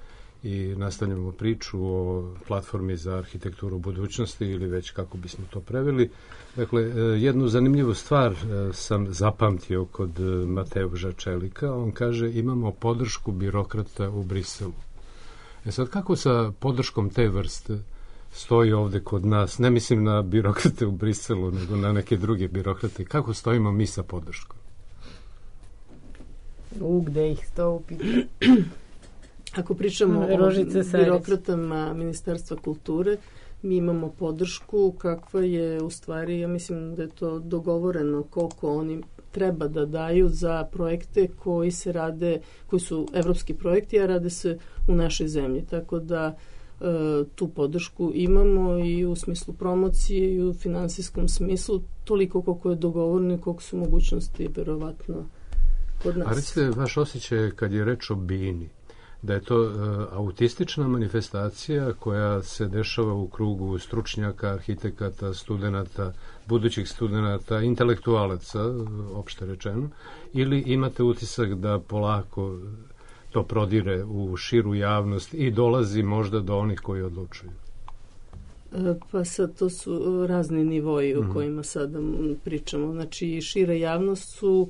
i nastavljamo priču o platformi za arhitekturu budućnosti ili već kako bismo to preveli. Dakle, jednu zanimljivu stvar sam zapamtio kod Mateuša Čelika. On kaže, imamo podršku birokrata u Briselu. E sad, kako sa podrškom te vrste stoji ovde kod nas? Ne mislim na birokrate u Briselu, nego na neke druge birokrate. Kako stojimo mi sa podrškom? U, gde ih sto upita? Ako pričamo o birokratama Ministarstva kulture, mi imamo podršku kakva je u stvari, ja mislim da je to dogovoreno koliko oni treba da daju za projekte koji se rade, koji su evropski projekti, a rade se u našoj zemlji. Tako da e, tu podršku imamo i u smislu promocije i u finansijskom smislu, toliko koliko je dogovoreno i koliko su mogućnosti verovatno kod nas. A recite, vaš osjećaj kad je reč o Bini, da je to uh, autistična manifestacija koja se dešava u krugu stručnjaka, arhitekata, studenata, budućih studenata, intelektualaca, opšte rečeno, ili imate utisak da polako to prodire u širu javnost i dolazi možda do onih koji odlučuju? Pa sad to su razni nivoji o kojima sada pričamo. Znači, šira javnost su,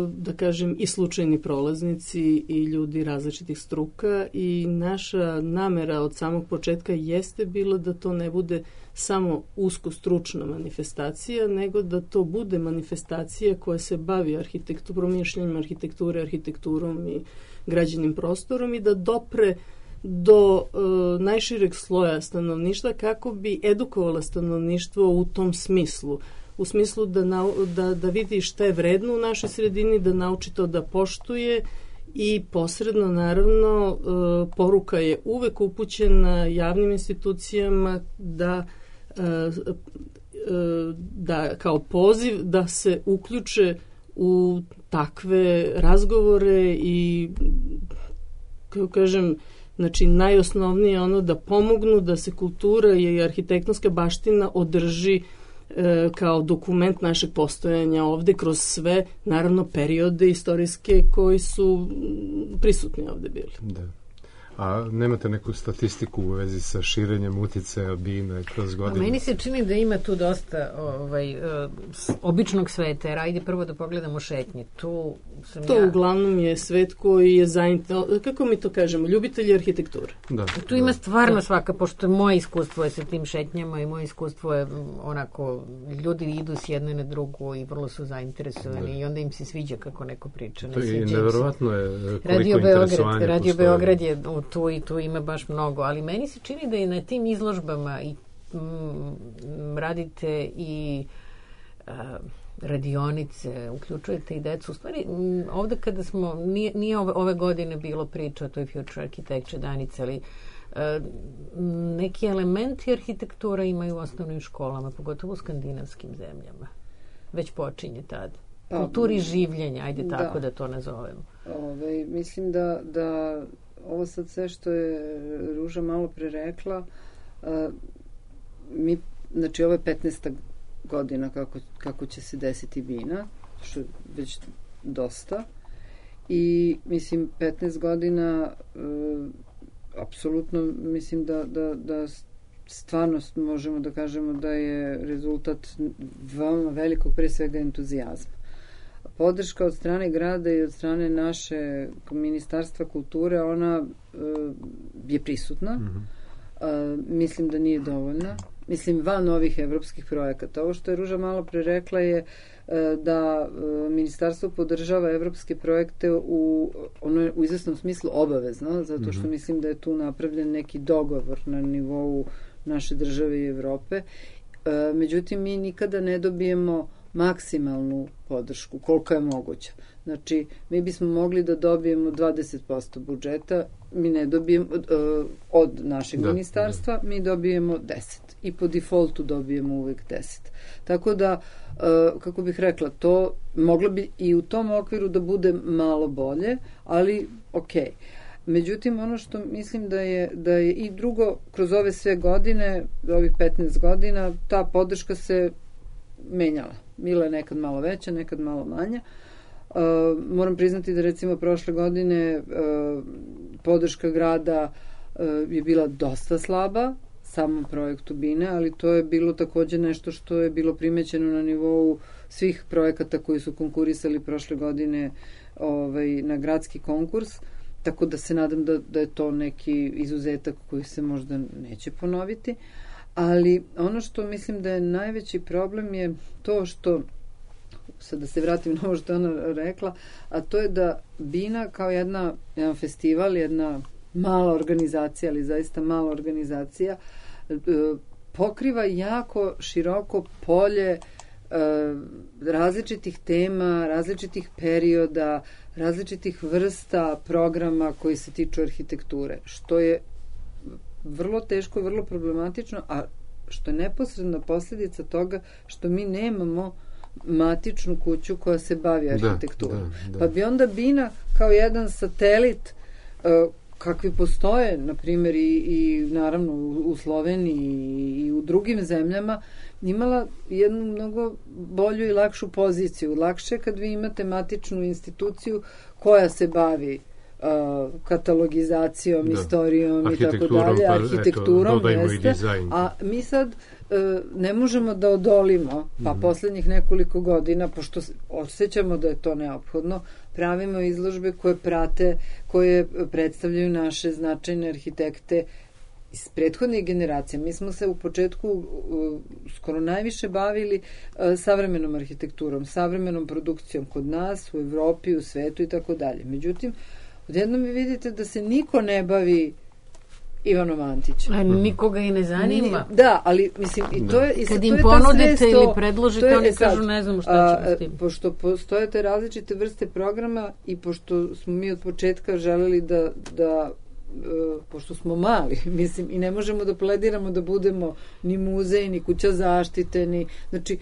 da kažem, i slučajni prolaznici i ljudi različitih struka i naša namera od samog početka jeste bila da to ne bude samo usko stručna manifestacija, nego da to bude manifestacija koja se bavi arhitekturom, mišljenjem arhitekture, arhitekturom i građenim prostorom i da dopre do e, najšireg sloja stanovništva kako bi edukovala stanovništvo u tom smislu. U smislu da, na, da, da vidi šta je vredno u našoj sredini, da nauči to da poštuje i posredno, naravno, e, poruka je uvek upućena javnim institucijama da, e, e, da kao poziv da se uključe u takve razgovore i, kako kažem, znači najosnovnije je ono da pomognu da se kultura i arhitektonska baština održi e, kao dokument našeg postojanja ovde kroz sve, naravno, periode istorijske koji su prisutni ovde bili. Da. A nemate neku statistiku u vezi sa širenjem uticaja Bine kroz godine? Meni se čini da ima tu dosta ovaj, običnog sveta, jer ajde prvo da pogledamo šetnje. Tu sam to ja... uglavnom je svet koji je zainteresovan, kako mi to kažemo, ljubitelji arhitekture. Da, tu ima stvarno da. Svaka, pošto moje iskustvo je sa tim šetnjama i moje iskustvo je onako, ljudi idu s jedne na drugu i vrlo su zainteresovani da. I onda im se sviđa kako neko priča. To je neverovatno je koliko Radio interesovanja Radio postoji. Beograd je tu i tu ima baš mnogo, ali meni se čini da i na tim izložbama i mm, radite i a, radionice, uključujete i decu. U stvari, m, ovde kada smo, nije, nije ove, ove godine bilo priča o toj Future Architecture Danice, ali a, neki elementi arhitektura imaju u osnovnim školama, pogotovo u skandinavskim zemljama. Već počinje tad. Kulturi življenja, ajde da. Tako da to nazovemo. Ove, mislim da, da ovo sad sve što je Ruža malo pre rekla, a, mi, znači ovo je petnaesta godina kako, kako će se desiti Bina, što je već dosta. I mislim petnaest godina a, apsolutno mislim da, da, da stvarno možemo da kažemo da je rezultat veoma velikog pre svega entuzijazma. Podrška od strane grada i od strane naše Ministarstva kulture, ona uh, je prisutna. Mm-hmm. Uh, mislim da nije dovoljna. Mislim, van ovih evropskih projekata. Ovo što je Ruža malo pre rekla je uh, da uh, Ministarstvo podržava evropske projekte u, ono je u izvesnom smislu obavezno, zato što mm-hmm. mislim da je tu napravljen neki dogovor na nivou naše države i Evrope. Uh, međutim, mi nikada ne dobijemo maksimalnu podršku, koliko je moguća. Znači, mi bismo mogli da dobijemo dvadeset posto budžeta, mi ne dobijemo uh, od našeg da, ministarstva, da. mi dobijemo deset. I po defaultu dobijemo uvek deset. Tako da, uh, kako bih rekla, to moglo bi i u tom okviru da bude malo bolje, ali okej. Okay. Međutim, ono što mislim da je, da je i drugo, kroz ove sve godine, ovih petnaest godina, ta podrška se menjala. Bila je nekad malo veća, nekad malo manja. Uh, moram priznati da recimo prošle godine uh, podrška grada uh, je bila dosta slaba samom projektu Bine, ali to je bilo takođe nešto što je bilo primećeno na nivou svih projekata koji su konkurisali prošle godine ovaj, na gradski konkurs, tako da se nadam da, da je to neki izuzetak koji se možda neće ponoviti. Ali ono što mislim da je najveći problem je to što, sad da se vratim na ovo što ona rekla, a to je da Bina kao jedna, jedan festival, jedna mala organizacija, ali zaista mala organizacija, pokriva jako široko polje različitih tema, različitih perioda, različitih vrsta programa koji se tiču arhitekture, što je vrlo teško, vrlo problematično, a što je neposredna posljedica toga što mi nemamo matičnu kuću koja se bavi arhitekturom. Da, da, da. Pa bi onda Bina kao jedan satelit uh, kakvi postoje, na primjer, i, i naravno u Sloveniji i u drugim zemljama, imala jednu mnogo bolju i lakšu poziciju. Lakše kad vi imate matičnu instituciju koja se bavi Uh, katalogizacijom, da. istorijom i tako dalje, arhitekturom, pa, jeste, a mi sad uh, ne možemo da odolimo, pa mm-hmm. poslednjih nekoliko godina, pošto osjećamo da je to neophodno, pravimo izložbe koje prate, koje predstavljaju naše značajne arhitekte iz prethodnih generacija. Mi smo se u početku uh, skoro najviše bavili uh, savremenom arhitekturom, savremenom produkcijom kod nas, u Evropi, u svetu i tako dalje. Međutim, odjednom vi vidite da se niko ne bavi Ivanom Antićem. A nikoga i ne zanima. Ni, da, ali mislim, i to je... I kad im ponudite ili predložite, oni kažu ne znamo šta ćemo s tim. Pošto postoje te različite vrste programa i pošto smo mi od početka želeli da, da uh, pošto smo mali, mislim, i ne možemo da plediramo da budemo ni muzej, ni kuća zaštite, ni... Znači,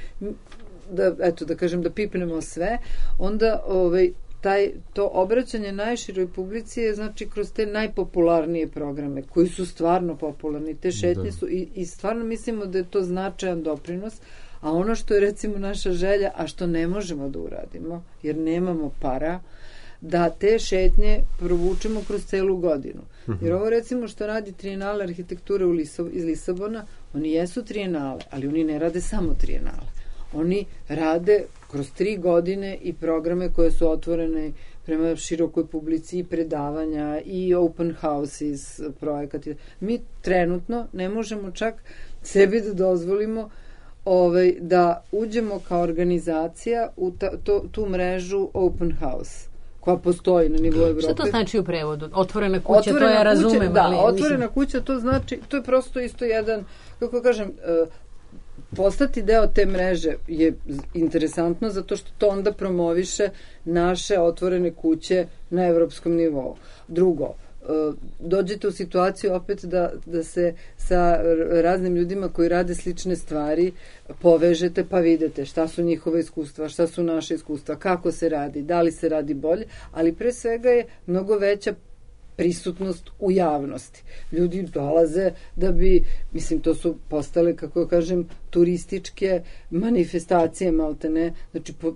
da, eto, da kažem, da pipnemo sve, onda, ovaj, taj, to obraćanje najširoj publici je znači kroz te najpopularnije programe koji su stvarno popularni, te šetnje da. su i, i stvarno mislimo da je to značajan doprinos, a ono što je recimo naša želja, a što ne možemo da uradimo jer nemamo para, da te šetnje provučemo kroz celu godinu. Jer ovo recimo što radi Trijenale arhitekture u Liso, iz Lisabona, oni jesu trijenale, ali oni ne rade samo trijenale. Oni rade kroz tri godine i programe koje su otvorene prema širokoj publici i predavanja i open houses projekati. Mi trenutno ne možemo čak sebi da dozvolimo ovaj, da uđemo kao organizacija u ta, to, tu mrežu open house koja postoji na nivou Evrope. Šta to znači u prevodu? Otvorena kuća, otvorena to ja razumem. Kuća, da, ali, otvorena mislim... kuća, to znači, to je prosto isto jedan, kako kažem, uh, postati deo te mreže je interesantno zato što to onda promoviše naše otvorene kuće na evropskom nivou. Drugo, dođete u situaciju opet da, da se sa raznim ljudima koji rade slične stvari povežete pa vidite šta su njihova iskustva, šta su naše iskustva, kako se radi, da li se radi bolje, ali pre svega je mnogo veća prisutnost u javnosti. Ljudi dolaze da bi, mislim, to su postale, kako kažem, turističke manifestacije, maltene, znači po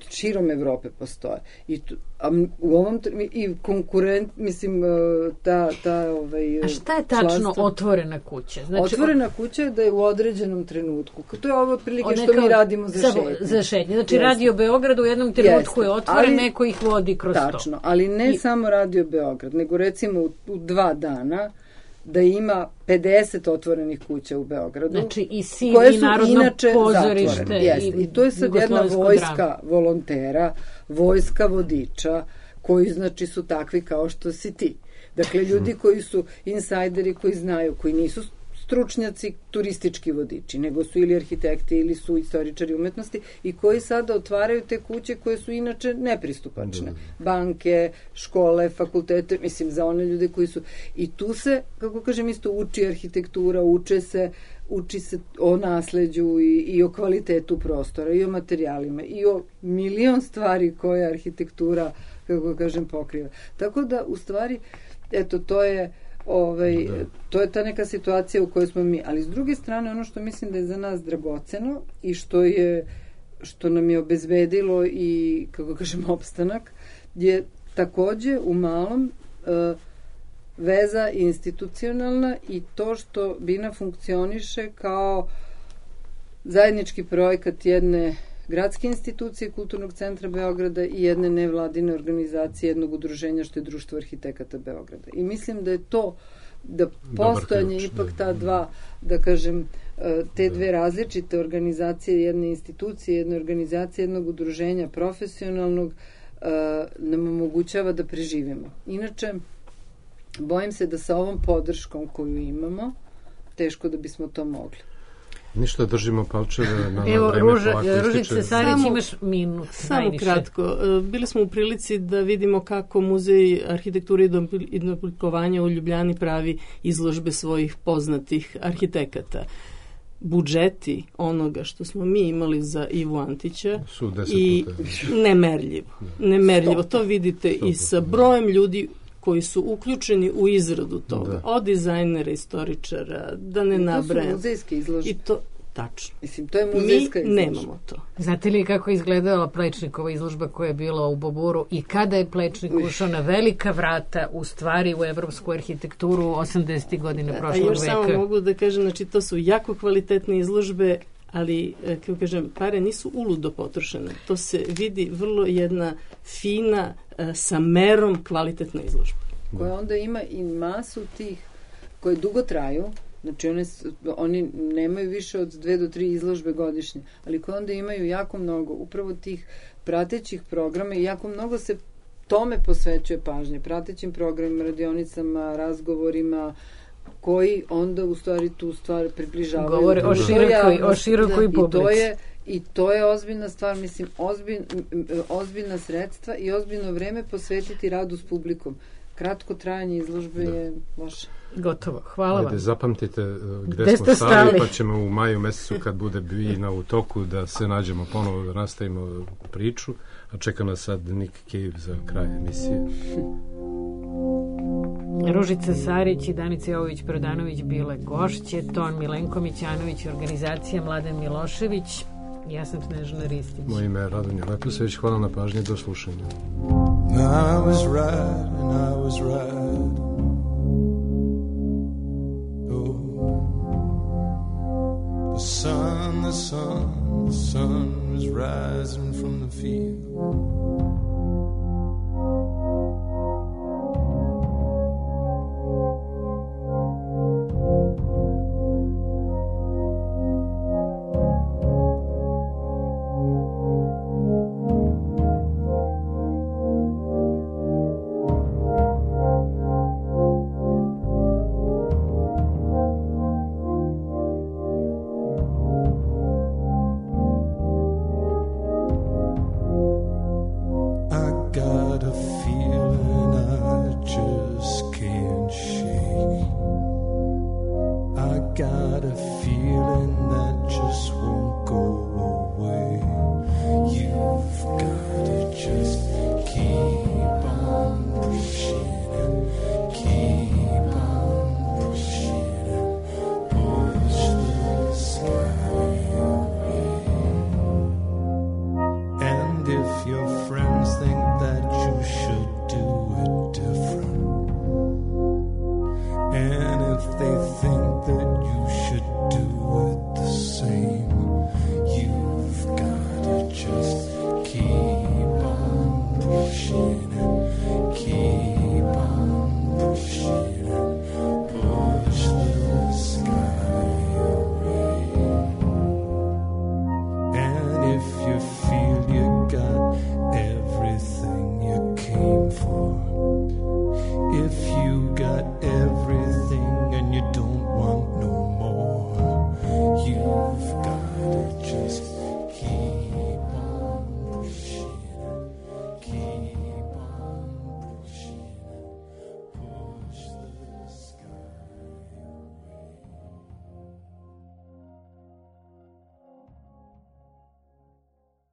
širom Evrope postoje. I tu, a u ovom i konkurent, mislim, ta, ta ovaj, a šta je tačno članstvo, otvorena kuća? Znači, otvorena o... kuća je da je u određenom trenutku. To je ovo otprilike što kao, mi radimo za šetnje. Za šetnje. Znači, Jeste. Radio Beograd u jednom trenutku Jeste. je otvoren, ali, neko ih vodi kroz tačno, to. Tačno, ali ne I... samo Radio Beograd, nego recimo u, u dva dana da ima pedeset otvorenih kuća u Beogradu. Znači i S I V i Narodno pozorište. I, I to je sad jedna vojska drama. Volontera, vojska vodiča, koji znači su takvi kao što si ti. Dakle, ljudi koji su insajderi, koji znaju, koji nisu stručnjaci, turistički vodiči, nego su ili arhitekti ili su istoričari umetnosti i koji sada otvaraju te kuće koje su inače nepristupačne. Banke, škole, fakultete, mislim za one ljude koji su... I tu se, kako kažem, isto uči arhitektura, uče se, uči se o nasleđu i, i o kvalitetu prostora, i o materijalima, i o milion stvari koje arhitektura, kako kažem, pokriva. Tako da, u stvari, eto, to je Ovaj, to je ta neka situacija u kojoj smo mi, ali s druge strane ono što mislim da je za nas dragoceno i što je što nam je obezbedilo i, kako kažem, opstanak, je takođe u malom uh, veza institucionalna i to što Bina funkcioniše kao zajednički projekat jedne gradske institucije Kulturnog centra Beograda i jedne nevladine organizacije, jednog udruženja što je Društvo arhitekata Beograda. I mislim da je to, da postojanje ipak ta dva, da kažem, te dve različite organizacije, jedne institucije, jedne organizacije, jednog udruženja profesionalnog, nam omogućava da preživimo. Inače, bojim se da sa ovom podrškom koju imamo, teško da bismo to mogli. Ništa, držimo palčeve na Evo, vreme Ruža, polako Ružice Sarić, imaš minut. Samo najviše. kratko. Bili smo u prilici da vidimo kako Muzej arhitekture i oblikovanja u Ljubljani pravi izložbe svojih poznatih arhitekata. Budžeti onoga što smo mi imali za Ivu Antića su deset i puta. nemerljivo. Nemerljivo. To vidite i sa brojem ljudi koji su uključeni u izradu toga. Da. Od dizajnera, istoričara, da ne nabrajam. To su muzejske izložbe. I to, tačno. Mislim, to je muzejska Mi izložba. nemamo to. Znate li kako je izgledala Plečnikova izložba koja je bila u Boburu i kada je Plečnik ušao na velika vrata u stvari u evropsku arhitектuru osamdesetih godina prošlog veka? A još veka? samo mogu da kažem, znači to su jako kvalitetne izložbe, ali, kako kažem, pare nisu uludo potrošene. To se vidi vrlo jedna fina, sa merom kvalitetna izložba. Koja onda ima i masu tih koje dugo traju, znači one, oni nemaju više od dve do tri izložbe godišnje, ali koje onda imaju jako mnogo upravo tih pratećih programa i jako mnogo se tome posvećuje pažnje, pratećim programima, radionicama, razgovorima, koji onda u stvari tu stvar približavaju. Govore o širokoj, o širokoj da, publici. I to je I to je ozbiljna stvar, mislim, ozbilj, ozbiljna sredstva i ozbiljno vreme posvetiti radu s publikom. Kratko trajanje izložbe da. je loše. Gotovo. Hvala Ajde, vam. Zapamtite gde, gde smo stali, pa ćemo u maju mesecu kad bude Bina u toku da se nađemo ponovo, da nastavimo priču, a čeka nas sad Nick Cave za kraj emisije. Ružica Sarić i Danica Jovović-Prodanović bile gošće, Ton Milenko Mićanović, organizacija Mladen Milošević. Ja sam Snežana Ristić. Moje ime je Radonja Leposević. Hvala na pažnji. Do slušanja. I was right and I was right. Oh. The sun, the sun, the sun was rising from the field.